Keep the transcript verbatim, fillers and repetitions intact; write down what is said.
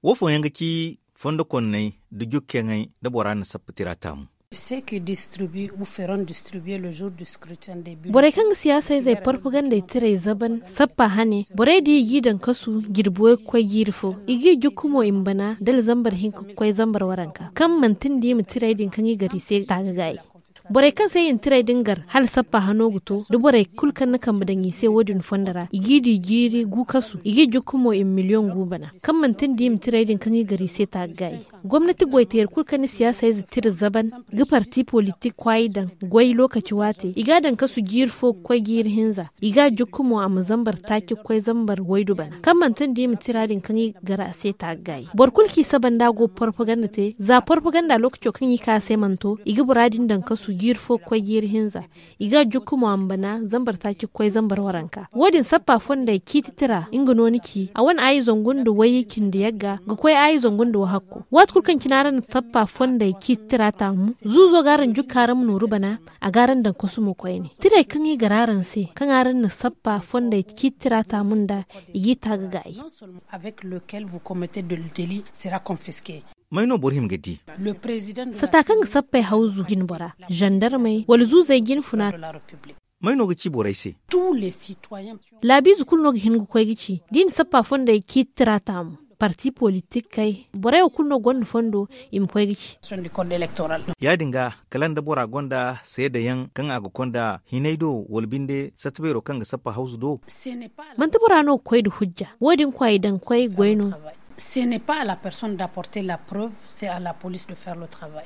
Wo fooyaŋ ga ci fondo konney nda jukkeyaŋey nda bora na sappa tira taamu. Ceux qui distribuent ou feront distribuer le jour du scrutin des bulletins. Borey kaŋ ga siyaasa izey porpagandey tirey zaban sappa hane, borey din i g'i daŋ kasu jirbi way ga koy jiiri fo. I g'i jukku mo i ma bana dala zambar hinka ga koy zambar waranka, kaŋ manti nda i ma tirey din kaŋ i gar i se taagagaayi. Borey kaŋ se i na tirey din gar hala sappa hano ga to, da borey kulu kaŋ na kambe daŋ i se wo-din fondo ra, i g'i di jiiri gu kasu, i g'i jukku mo i ma miliyoŋ gu bana, kaŋ manti nda i ma tirey din kaŋ i gar i se taagagaayi. Gomnati goyteeri kulu kaŋ na siyaasa ize tira zaban ga parti politik kwaayi daŋ goy lookaci waate, i g'a daŋ kasu jiiri fo ga koy jiiri hinza. I g'a jukku mo a ma zambar taaci ga koy zambar waydu bana, kaŋ manti nda i ma tira din kaŋ i gar a se taagagaayi. Boro kulu kaŋ i saba nda a go ga porpaganda te, za porpaganda lookaco kaŋ i ka a se mana to, i ga bora din daŋ kasu jiiri fo ga koy jiiri hinza. I g'a jukku mo a ma bana zambar taaci ga koy zambar waranka. Wo-din sappa fondey ciiti tira nga no ni ci, a wane aayi zangu nda wayye cindi yagga ga koy aayi zangu nda wahakku. Waati kulu kaŋ cine araŋ na sappa fondey ciiti tira taamu, zuuzo ga araŋ jukka araŋ ma nooru bana, a ga araŋ daŋ kasu mo koyne. Tirey kaŋ i gar araŋ se kaŋ araŋ na sappa fondey ciiti tira taamu nda, i g'i taagagaayi. Avec lequel vous commettez de délit sera confisqué. May no boro hima ga di? Sata kaŋ ga sappey hawzu jinbora, zandarmey wala zuuzey jinfuna. May no ga ci borey se? Laabiize kulu no ga hin ga koy ga ci da i na sappa fondey ciiti tira taamu, parti politikey, borey wo kulu no gonda fondo i ma koy ga ci. Ya-din ga, kala nda bora gonda seedayaŋ kaŋ a ga konda hinay do wala binde sata beero kaŋ ga sappa hawzu do? Manti bora no ga koy nda hujja. Wo-din kwaay daŋ koy goy no. Ce n'est pas à la personne d'apporter la preuve, c'est à la police de faire le travail.